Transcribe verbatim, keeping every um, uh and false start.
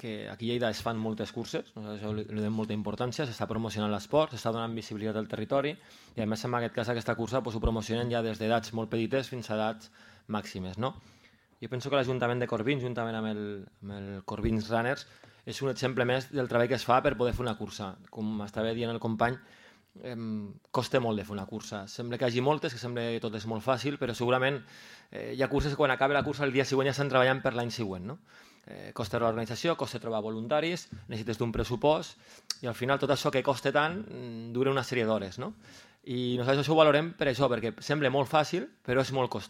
que aquí a Lleida es fan moltes curses, nosaltres li, li donem molta importància, s'està promocionant l'esport, s'està donant visibilitat al territori, i a més en aquest cas aquesta cursa pues, ho promocionen ja des d'edats molt petites fins a edats màximes, no? Jo penso que l'Ajuntament de Corbins, juntament amb el, amb el Corbins Runners, és un exemple més del treball que es fa per poder fer una cursa. Com estava dient el company, eh, costa molt de fer una cursa. Sembla que hi hagi moltes, que sembla que tot és molt fàcil, però segurament eh, hi ha curses que quan acaba la cursa el dia següent ja estan treballant per l'any següent, no? Eh, costa l'organització, costa trobar voluntaris, necessites d'un pressupost, i al final tot això que costa tant dura una sèrie d'hores, no? I nosaltres això ho valorem per això, perquè sembla molt fàcil, però és molt costós.